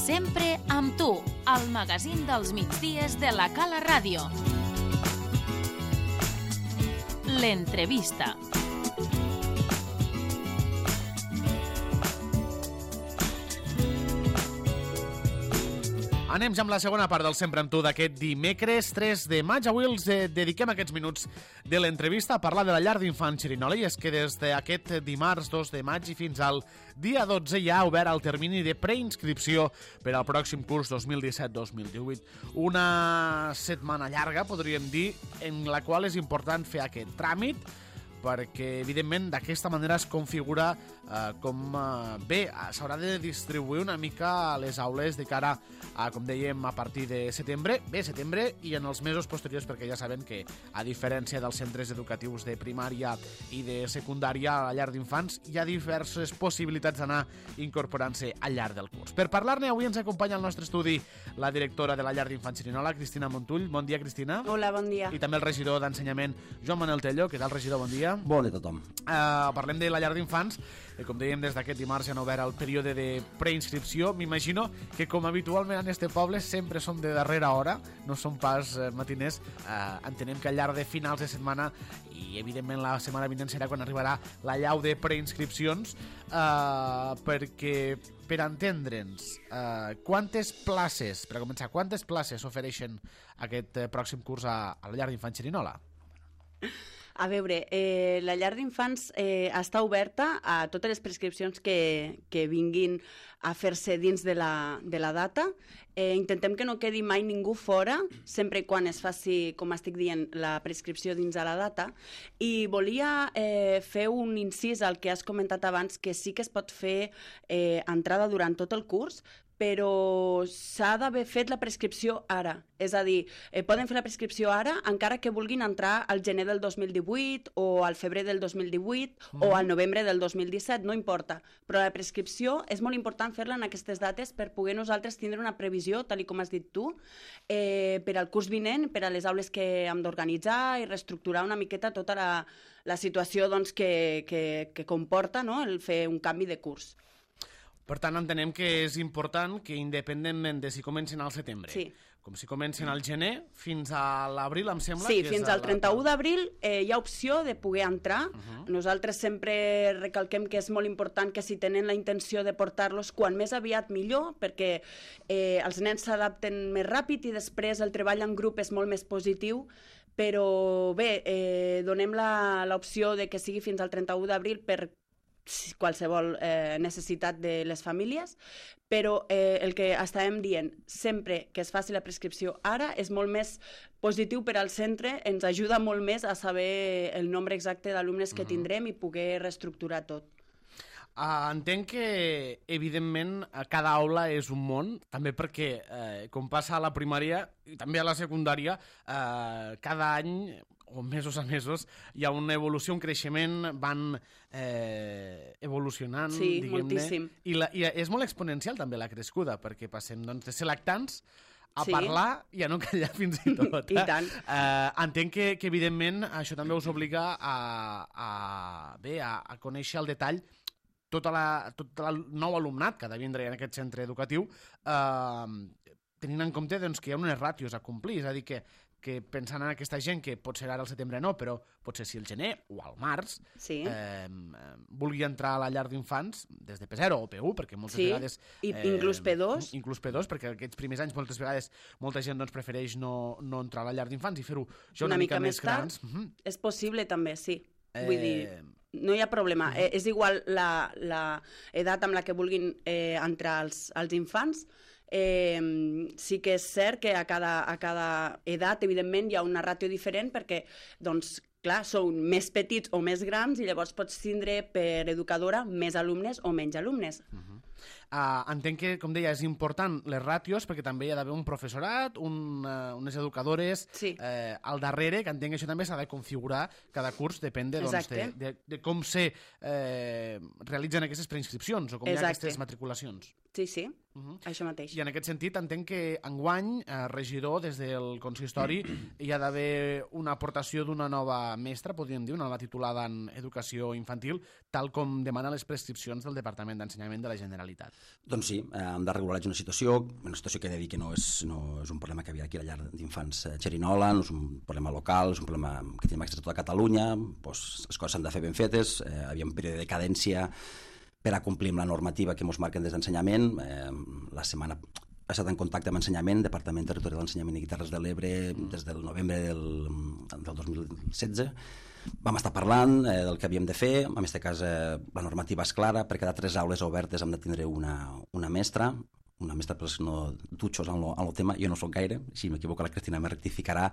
Sempre amb tu, al magazín dels migdies de la Cala Ràdio. L'entrevista. Anem ja amb la segona part del Sempre amb tu d'aquest dimecres 3 de maig. Avui els dediquem aquests minuts de l'entrevista a parlar de la llar d'infants Xerinola, i és que des d'aquest dimarts 2 de maig i fins al dia 12 ja ha obert el termini de preinscripció per al pròxim curs 2017-2018. Una setmana llarga, podríem dir, en la qual és important fer aquest tràmit, perquè, evidentment, d'aquesta manera es configura bé, s'haurà de distribuir una mica a les aules de cara a, com dèiem, a partir de setembre, i en els mesos posteriors, perquè ja saben que, a diferència dels centres educatius de primària i de secundària, a la llar d'infants hi ha diverses possibilitats d'anar incorporant-se al llarg del curs. Per parlar-ne, avui ens acompanya al nostre estudi la directora de la llar d'infants Xerinola, Cristina Montull. Bon dia, Cristina. Hola, bon dia. I també el regidor d'Ensenyament, Joan Manel Tello. Què tal, regidor? Bon dia. Bon dia a tothom. Parlem de la llar d'infants. Com dèiem, des d'aquest dimarts ja han obert el període de preinscripció. M'imagino que, com habitualment en este poble, sempre som de darrera hora, no som pas matiners. Entenem que al llarg de finals de setmana, i evidentment la setmana vinent serà quan arribarà la llau de preinscripcions, perquè, per entendre'ns, quantes places, per començar, quantes places s'ofereixen aquest pròxim curs a la llar d'infants Xerinola? A veure, la llar d'infants està oberta a totes les prescripcions que vinguin a fer-se dins de la data. Intentem que no quedi mai ningú fora, sempre i quan es faci, com estic dient, la prescripció dins de la data. I volia fer un incís al que has comentat abans, que sí que es pot fer entrada durant tot el curs, però s'ha d'haver fet la prescripció ara. És a dir, poden fer la prescripció ara encara que vulguin entrar al gener del 2018 o al febrer del 2018 o al novembre del 2017, no importa. Però la prescripció és molt important fer-la en aquestes dates per poder nosaltres tindre una previsió, tal com has dit tu, per al curs vinent, per a les aules que hem d'organitzar i reestructurar una miqueta tota la situació doncs, que comporta, no?, el fer un canvi de curs. Per tant, entenem que és important que, independentment de si comencen al setembre, sí, com si comencen al gener, fins a l'abril, em sembla... Sí, que fins al 31 d'abril hi ha opció de poder entrar. Nosaltres sempre recalquem que és molt important que si tenen la intenció de portar-los quan més aviat millor, perquè els nens s'adapten més ràpid i després el treball en grup és molt més positiu. Però bé, donem l'opció de que sigui fins al 31 d'abril per qualsevol necessitat de les famílies, però el que estàvem dient, sempre que es faci la prescripció ara, és molt més positiu per al centre, ens ajuda molt més a saber el nombre exacte d'alumnes que tindrem i poder reestructurar tot. Entenc que, evidentment, cada aula és un món, també perquè, com passa a la primària i també a la secundària, cada any, o mesos a mesos, hi ha una evolució, un creixement, van evolucionant, sí, diguem-ne. Moltíssim. I és molt exponencial també la crescuda, perquè passem doncs, de ser lactants a sí, parlar i a no callar fins i tot. I tant. Entenc que, evidentment, això també us obliga a conèixer al detall tot el nou alumnat que ha de vindre en aquest centre educatiu, tenint en compte doncs, que hi ha unes ràtios a complir, és a dir, que pensant en aquesta gent que potser ara al setembre no, però potser si al gener o al març sí, vulgui entrar a la llar d'infants des de P0 o P1, perquè moltes vegades... inclús P2. Inclús P2, perquè aquests primers anys moltes vegades molta gent doncs, prefereix no entrar a la llar d'infants i fer-ho ja una mica més grans. És possible també, sí. Vull dir, no hi ha problema. És igual l'edat amb la que vulguin entrar els infants. Sí que és cert que a cada edat, evidentment, hi ha una ràtio diferent perquè, doncs, clar, són més petits o més grans i llavors pots tindre per educadora més alumnes o menys alumnes. Entenc que, com deia, és important les ràtios perquè també hi ha d'haver un professorat, unes educadores al darrere, que entenc que això també s'ha de configurar cada curs, depèn de com se realitzen aquestes preinscripcions o com hi ha aquestes matriculacions. Sí, això mateix. I en aquest sentit entenc que enguany, regidor, des del consistori, hi ha d'haver una aportació d'una nova mestra, podríem dir, una nova titulada en educació infantil, tal com demana les prescripcions del Departament d'Ensenyament de la Generalitat. Doncs sí, hem de regularitzar una situació que he de dir que no és un problema que havia aquí a la llar d'infants Xerinola, no és un problema local, és un problema que tenim accés a tota Catalunya, doncs les coses s'han de fer ben fetes, havia un període de cadència per a complir amb la normativa que ens marquen des d'ensenyament. La setmana he estat en contacte amb ensenyament, Departament Territorial d'Ensenyament i Guitarres de l'Ebre, des del novembre del 2016. Vam estar parlant del que havíem de fer. En aquest cas, la normativa és clara. Per cada 3 aules obertes hem de tindre una mestra. Una mestra, però no dutxos en el tema. Jo no soc gaire, si m'equivoco la Cristina me rectificarà.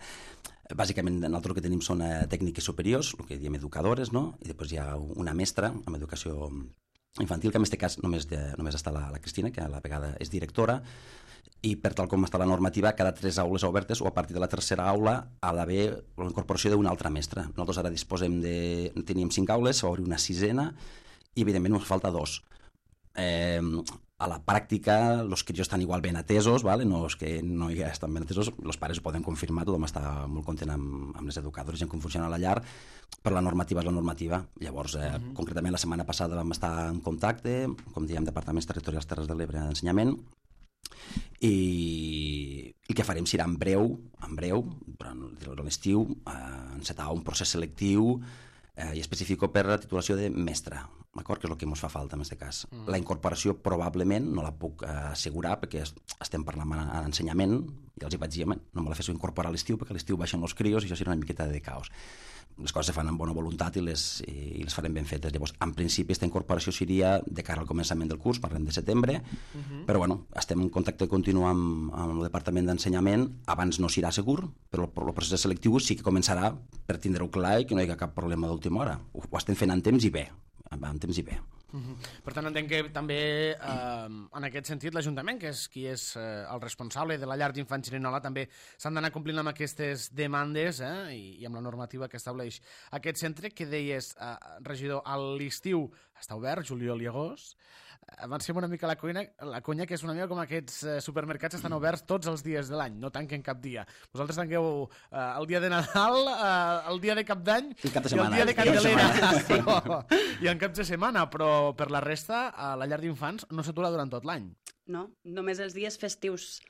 Bàsicament, nosaltres el que tenim són tècniques superiors, el que diem educadores, no? I després hi ha una mestra amb educació infantil, que en aquest cas només està la Cristina, que a la vegada és directora, i per tal com està la normativa, cada 3 aules obertes o a partir de la tercera aula ha d'haver la incorporació d'una altra mestra. Nosaltres ara teníem 5 aules, s'ha d'obrir una 6ena i evidentment ens falta 2. A la pràctica els crios estan igual ben atesos, vale? No és que no hi estan ben atesos, els pares ho poden confirmar, tothom està molt content amb les educadores i en com funciona la llar, però la normativa és la normativa. Llavors, concretament la setmana passada vam estar en contacte, com diem, Departaments Territorials Terres de l'Ebre d'Ensenyament, i el que farem serà en breu, durant l'estiu, encetar un procés selectiu i específic per la titulació de mestre, d'acord? Que és el que ens fa falta en aquest cas. La incorporació probablement no la puc assegurar perquè estem parlant en ensenyament i els hi vaig dir, no me la fes incorporar a l'estiu perquè a l'estiu baixen els crios i això serà una miqueta de caos. Les coses se fan amb bona voluntat i les farem ben fetes. Llavors, en principi, aquesta incorporació seria de cara al començament del curs, parlem de setembre, però bueno, estem en contacte continu amb el Departament d'Ensenyament. Abans no serà segur, però el procés selectiu sí que començarà per tindre-ho clar i que no hi hagi cap problema d'última hora. Ho estem fent en temps i bé. Per tant, entenc que també en aquest sentit l'Ajuntament, que és qui és el responsable de la llar d'infants Xerinola, també s'han d'anar complint amb aquestes demandes i amb la normativa que estableix aquest centre, que deies, regidor, a l'estiu està obert, juliol i agost. Avancem una mica la conya, que és una mica com aquests supermercats estan oberts tots els dies de l'any, no tanquen cap dia. Vosaltres tanqueu el dia de Nadal, el dia de Cap d'Any i el dia de Candelera. I en caps de setmana, però per la resta la llar d'infants no s'atura durant tot l'any. No, només els dies festius.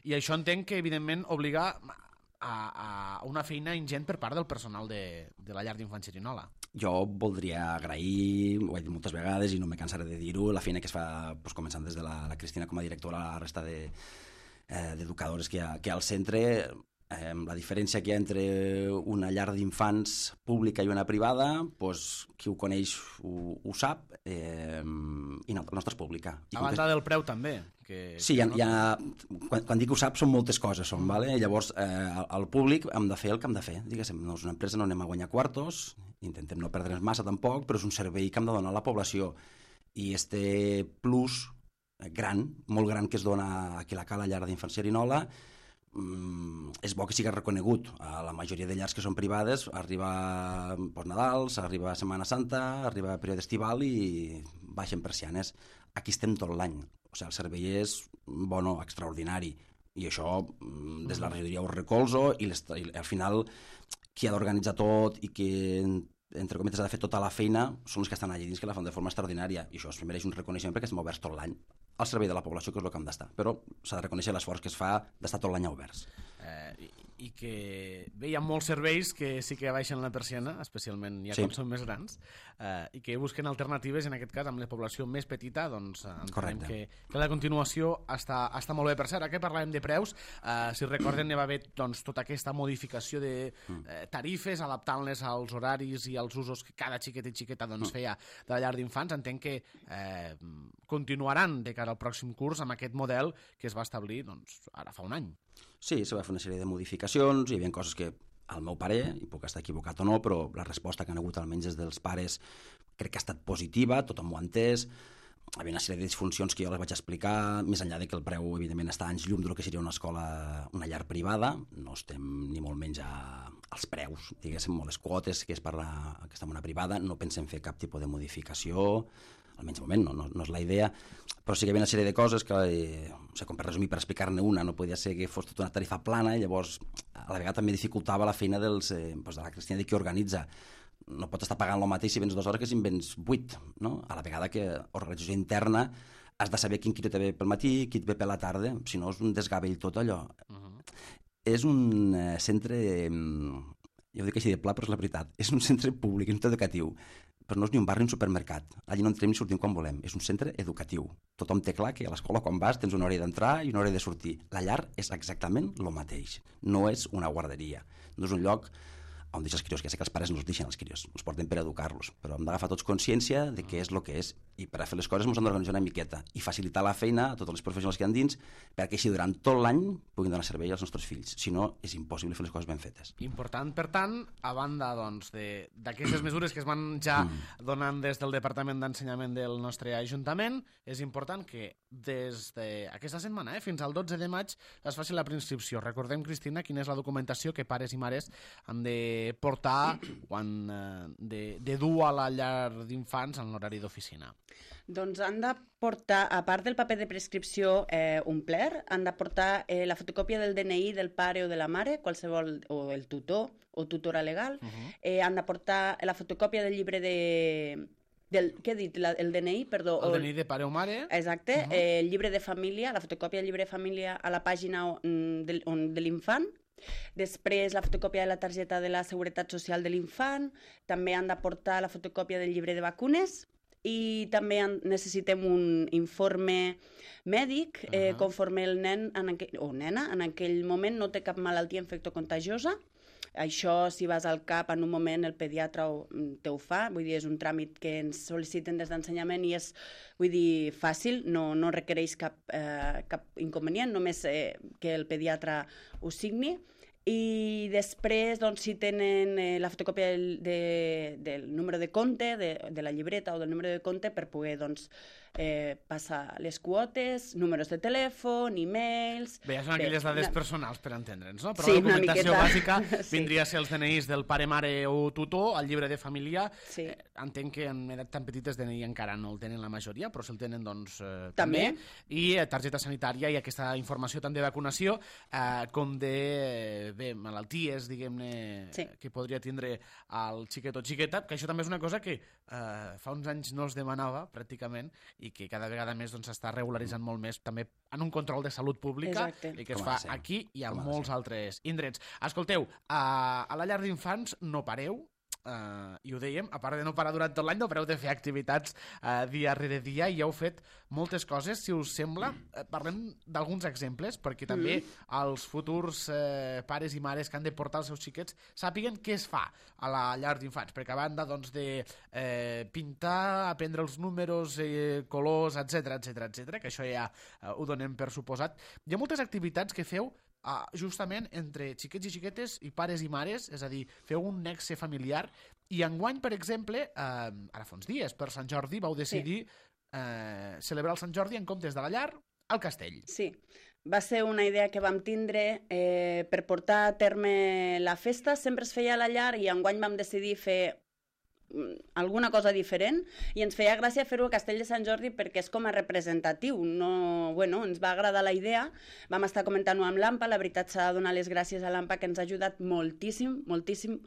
I això entenc que, evidentment, obliga a una feina ingent per part del personal de la llar d'infants Xerinola. Jo voldria agrair, ho he dit moltes vegades i no me cansaré de dir-ho, la feina que es fa començant des de la Cristina com a directora, la resta d'educadores que hi ha al centre. La diferència que hi ha entre una llar d'infants pública i una privada, qui ho coneix ho sap, i la nostra és pública. A banda del preu també. Sí, quan dic ho sap són moltes coses, vale? Llavors al públic hem de fer el que hem de fer. Diguéssim, no és una empresa, no anem a guanyar quartos, intentem no perdre'ns massa tampoc, però és un servei que hem de donar a la població. I este plus gran, molt gran, que es dona aquí a la llar d'infants Xerinola, és bo que sigui reconegut. A la majoria de llars que són privades arriba Nadals, arriba Setmana Santa, arriba període estival i baixen persianes. Aquí estem tot l'any, o sigui, el servei és bon, extraordinari, i això des de la regidoria ho recolzo, i al final qui ha d'organitzar tot i qui, entre cometes, ha de fer tota la feina són els que estan allà dins, que la fan de forma extraordinària, i això es mereix un reconeixement perquè estem oberts tot l'any al servei de la població, que és el que hem d'estar, però s'ha de reconèixer l'esforç que es fa d'estar tot l'any oberts. I que bé, hi ha molts serveis que sí que baixen la persiana, especialment ja quan són més grans, i que busquen alternatives, en aquest cas amb la població més petita, doncs entenem que la continuació està molt bé. Per cert, que parlàvem de preus, si recorden hi va haver tota aquesta modificació de tarifes, adaptant-les als horaris i als usos que cada xiquet i xiqueta feia de la llar d'infants. Entenc que continuaran de cara al pròxim curs amb aquest model que es va establir ara fa un any. Sí, se va fer una sèrie de modificacions, hi havia coses que, al meu parer, i puc estar equivocat o no, però la resposta que han hagut almenys des dels pares crec que ha estat positiva, tothom ho ha entès. Hi havia una sèrie de disfuncions que jo les vaig explicar, més enllà de que el preu, evidentment, està anys llum del que seria una escola, una llar privada. No estem ni molt menys als preus, diguéssim, o les quotes que es parla que està en una privada. No pensem fer cap tipus de modificació, almenys de moment no és la idea, però sí que hi havia una sèrie de coses que, com per resumir, per explicar-ne una, no podia ser que fos tota una tarifa plana, i llavors a la vegada també dificultava la feina de la Cristina, de qui organitza no pots estar pagant el mateix si vens 2 hores que si en vens 8, no? A la vegada que organització interna has de saber quin te ve pel matí, qui et ve per la tarda, si no és un desgavell tot allò. És un centre, jo ho dic així de pla, però és la veritat, és un centre públic, és un centre educatiu, però no és ni un bar ni un supermercat. Allí no entrem ni sortim quan volem. És un centre educatiu. Tothom té clar que a l'escola quan vas tens una hora d'entrar i una hora de sortir. La llar és exactament el mateix. No és una guarderia. No és un lloc on deixa els crios, que ja sé que els pares no els deixen els crios, els porten per educar-los, però hem d'agafar tots consciència de què és el que és, i per a fer les coses ens hem d'organitzar una miqueta i facilitar la feina a tots els professionals que hi ha dins perquè així durant tot l'any puguin donar servei als nostres fills, si no és impossible fer les coses ben fetes. Important, per tant, a banda d'aquestes mesures que es van ja donant des del Departament d'Ensenyament del nostre Ajuntament, és important que des d'aquesta setmana fins al 12 de maig es faci la preinscripció. Recordem, Cristina, quina és la documentació que pares i mares han de portar quan de dur a la llar d'infants en l'horari d'oficina. Doncs han de portar, a part del paper de prescripció omplert, han de portar la fotocòpia del DNI del pare o de la mare, qualsevol, o el tutor o tutora legal. Han de portar la fotocòpia del llibre què he dit? El DNI, perdó. El DNI de pare o mare. Exacte. El llibre de família, la fotocòpia del llibre de família a la pàgina de l'infant. Després, la fotocòpia de la targeta de la Seguretat Social de l'infant. També han de portar la fotocòpia del llibre de vacunes. I també necessitem un informe mèdic conforme el nen o nena en aquell moment no té cap malaltia infectocontagiosa. Això, si vas al CAP en un moment, el pediatre te ho fa, vull dir, és un tràmit que ens sol·liciten des d'ensenyament i és, vull dir, fàcil, no requereix cap inconvenient, només que el pediatre ho signi. I després, doncs, si tenen la fotocòpia del número de compte, de la llibreta o del número de compte per poder, doncs, passar les quotes, números de telèfon, e-mails... Bé, ja són aquelles dades personals per entendre'ns, no? Però sí, la documentació bàsica sí. vindria a ser els DNIs del pare, mare o tutor, el llibre de família. Sí. Entenc que en edat tan petites DNI encara no el tenen la majoria, però si el tenen, doncs, també. I targeta sanitària i aquesta informació tant de vacunació com de malalties, diguem-ne, sí. que podria tindre el xiquet o xiqueta, que això també és una cosa que fa uns anys no es demanava, pràcticament, i que cada vegada més s'està regularitzant molt més també en un control de salut pública. Exacte. I que es fa aquí i a molts altres indrets. Escolteu, a la llar d'infants no pareu, i ho dèiem, a part de no parar durant tot l'any, no pareu de fer activitats dia rere dia i heu fet moltes coses. Si us sembla, parlem d'alguns exemples perquè també els futurs pares i mares que han de portar els seus xiquets sàpiguen què es fa a la llar d'infants, perquè a banda doncs, de pintar, aprendre els números, colors, etc, que això ja ho donem per suposat. Hi ha moltes activitats que feu justament entre xiquets i xiquetes i pares i mares, és a dir, feu un nexe familiar, i enguany, per exemple, ara fa uns dies, per Sant Jordi, vau decidir celebrar el Sant Jordi en comptes de la llar al castell. Sí, va ser una idea que vam tindre per portar a terme la festa. Sempre es feia a la llar i enguany vam decidir fer alguna cosa diferent i ens feia gràcia fer-ho a Castell de Sant Jordi perquè és com a representatiu. Ens va agradar la idea, vam estar comentant-ho amb l'AMPA, la veritat s'ha de donar les gràcies a l'AMPA que ens ha ajudat moltíssim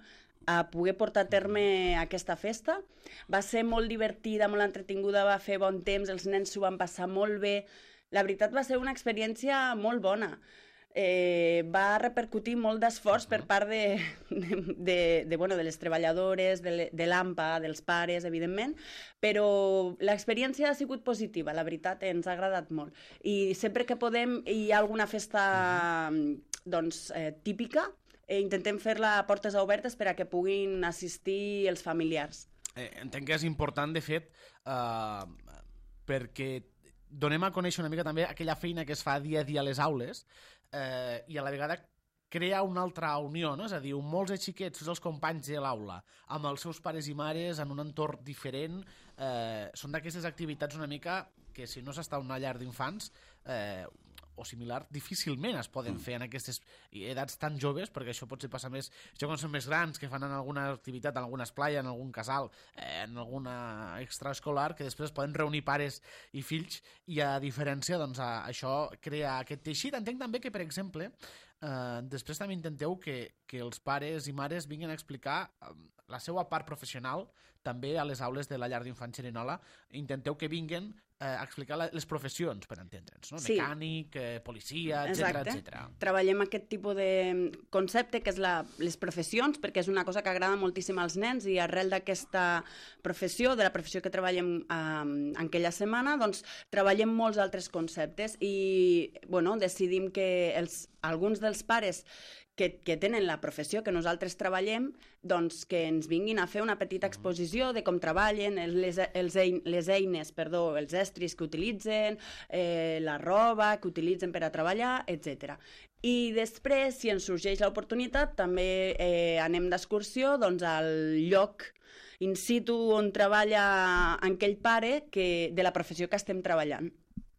a poder portar a terme aquesta festa. Va ser molt divertida, molt entretinguda, va fer bon temps, els nens s'ho van passar molt bé. La veritat va ser una experiència molt bona. Va repercutir molt d'esforç per part de les treballadores, de l'AMPA, dels pares, evidentment, però l'experiència ha sigut positiva, la veritat, ens ha agradat molt. I sempre que podem hi ha alguna festa típica, intentem fer-la a portes obertes per a que puguin assistir els familiars. Entenc que és important, de fet, perquè donem a conèixer una mica també aquella feina que es fa dia a dia a les aules, i a la vegada crea una altra unió, no? És a dir, molts de xiquets, tots els companys de l'aula, amb els seus pares i mares en un entorn diferent, són d'aquestes activitats una mica que si no s'està a una llar d'infants o similar, difícilment es poden fer en aquestes edats tan joves, perquè això potser passa més, això quan són més grans, que fan en alguna activitat, en alguna esplai, en algun casal, en alguna extraescolar, que després es poden reunir pares i fills, i a diferència, doncs, això crea aquest teixit. Entenc també que, per exemple, després també intenteu que els pares i mares vinguin a explicar la seva part professional també a les aules de la llar d'infants Xerinola. Intenteu que vinguin a explicar les professions, per entendre'ns, no? Sí. Mecànic, policia, etc. Treballem aquest tipus de concepte que és les professions, perquè és una cosa que agrada moltíssim als nens i arrel d'aquesta professió, de la professió que treballem en aquella setmana, doncs treballem molts altres conceptes i bueno, decidim que alguns dels pares que tenen la professió que nosaltres treballem, doncs que ens vinguin a fer una petita exposició de com treballen, les eines, els estris que utilitzen, la roba que utilitzen per a treballar, etc. I després, si ens sorgeix l'oportunitat, també anem d'excursió doncs, al lloc in situ on treballa aquell pare de la professió que estem treballant.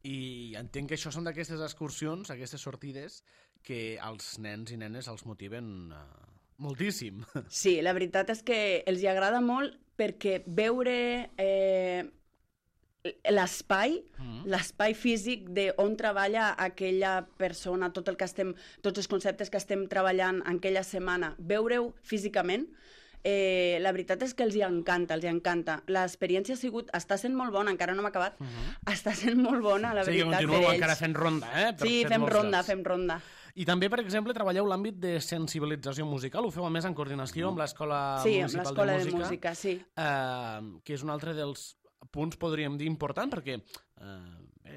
I entenc que això són d'aquestes excursions, aquestes sortides, que els nens i nenes els motiven moltíssim. Sí, la veritat és que els hi agrada molt perquè veure l'espai físic d'on treballa aquella persona, tots els conceptes que estem treballant en aquella setmana, veure-ho físicament, la veritat és que els hi encanta. L'experiència està sent molt bona, encara no m'ha acabat, està sent molt bona, la veritat, que continueu encara fent ronda, Sí, fem ronda. I també, per exemple, treballeu l'àmbit de sensibilització musical, ho feu a més en coordinació amb l'Escola Municipal de Música, sí. Que és un altre dels punts, podríem dir, important, perquè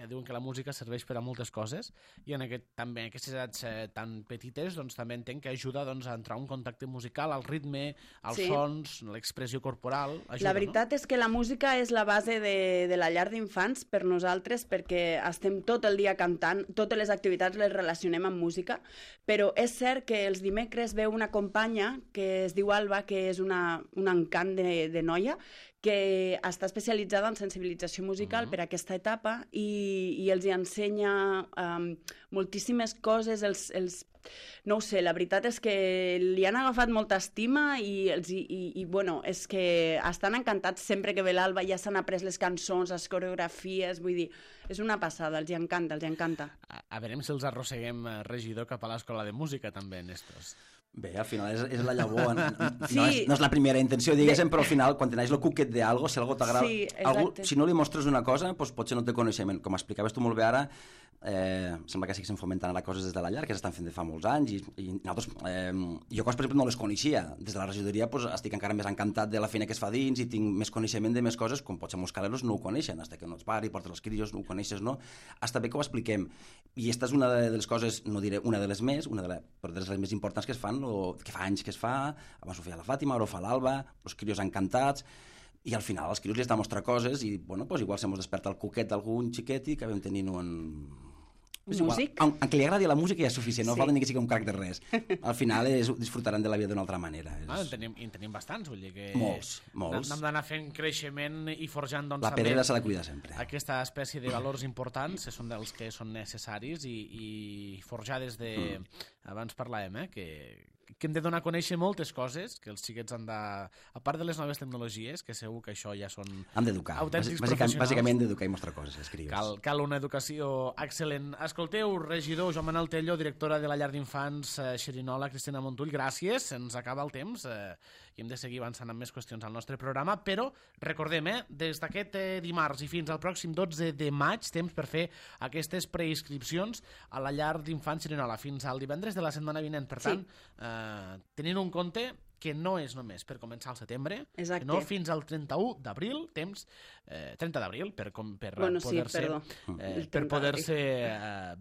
diuen que la música serveix per a moltes coses i en aquestes edats tan petites doncs, també entenc que ajuda doncs, a entrar en contacte musical, al ritme, als sons, l'expressió corporal. Ajuda, la veritat és que la música és la base de la llar d'infants per nosaltres perquè estem tot el dia cantant, totes les activitats les relacionem amb música, però és cert que els dimecres veu una companya que es diu Alba, que és un encant de noia, que està especialitzada en sensibilització musical per a aquesta etapa i els hi ensenya moltíssimes coses. No ho sé, la veritat és que li han agafat molta estima i bueno, és que estan encantats sempre que ve l'Alba, ja s'han après les cançons, les coreografies, vull dir, és una passada, els hi encanta. A veure si els arrosseguem, regidor, cap a l'Escola de Música també en estos. Bé, al final és la llavor, no és la primera intenció, diguéssim, però al final, quan tens el cuquet d'algo, si algo t'agrada, si no li mostres una cosa, doncs potser no té coneixement. Com explicaves tu molt bé ara, sembla que estiguessin fomentant ara coses des de la llar, que s'estan fent de fa molts anys, i nosaltres, jo coses, per exemple, no les coneixia. Des de la regidoria estic encara més encantat de la feina que es fa dins i tinc més coneixement de més coses, com potser molts caleros no ho coneixen, fins que no ets pare i portes els crios, no ho coneixes, no? Està bé que ho expliquem. I aquesta és una de les coses, no diré una de les més, però de les més importants que es fan, que fa anys que es fa, abans ho feia la Fàtima, ara ho fa l'Alba, els crios encantats, i al final als crios li has de mostrar coses i, bueno, doncs igual se mos desperta el cuquet d'algun xiquet i acabem tenint un... Músic? Aunque li agradi la música ja és suficient, no falta ni que sigui un crac de res. Al final disfrutaran de la vida d'una altra manera. En tenim bastants, vull dir que... Molts. Hem d'anar fent creixement i forjant... La pedrera s'ha de cuidar sempre. Aquesta espècie de valors importants són dels que són necessaris i forjar des de... Abans parlàvem, que hem de donar a conèixer moltes coses, que els xiquets han de... A part de les noves tecnologies, que segur que això ja són... Hem d'educar. Autèntics professionals. Bàsicament d'educar i mostrar coses, escrius. Cal una educació excel·lent. Escolteu, regidor Joan Manel Tello, directora de la llar d'infants Xerinola, Cristina Montull, gràcies. Se'ns acaba el temps i hem de seguir avançant amb més qüestions al nostre programa, però recordem, des d'aquest dimarts i fins al pròxim 12 de maig, temps per fer aquestes preinscripcions a la llar d'infants Xerinola fins al divendres de la setmana vinent. Per tant, tenint un compte que no és només per començar al setembre, sinó fins al 31 d'abril, temps 30 d'abril, per poder-se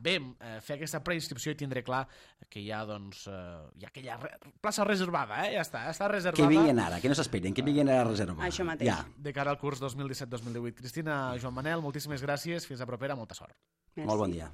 fer aquesta preinscripció i tindre clar que hi ha aquella plaça reservada, ja està reservada. Que vinguin ara, que no s'esperin, que vinguin a reservar. Això mateix. Ja. De cara al curs 2017-2018. Cristina, Joan Manel, moltíssimes gràcies, fins a propera, molta sort. Merci. Molt bon dia.